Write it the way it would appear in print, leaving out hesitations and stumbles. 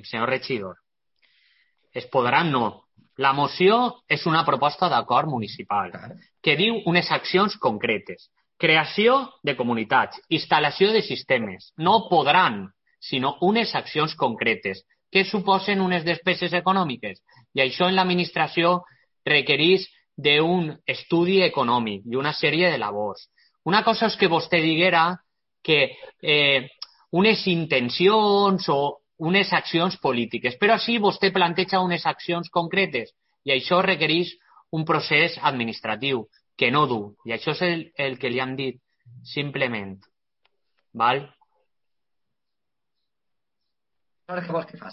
senyor regidor. Es podran no. La moció és una proposta d'acord municipal que diu unes accions concretes. Creació de comunitats, instal·lació de sistemes. No podran, sinó unes accions concretes que suposen unes despeses econòmiques. I això en l'administració requereix d'un estudi econòmic i una sèrie de labors. Una cosa és que vostè diguera que unes intencions o unes accions polítiques, però sí vostè planteja unes accions concretes i això requereix un procés administratiu que no du, i això és el que li hem dit simplement. Val? Aleshores, què vols que faci?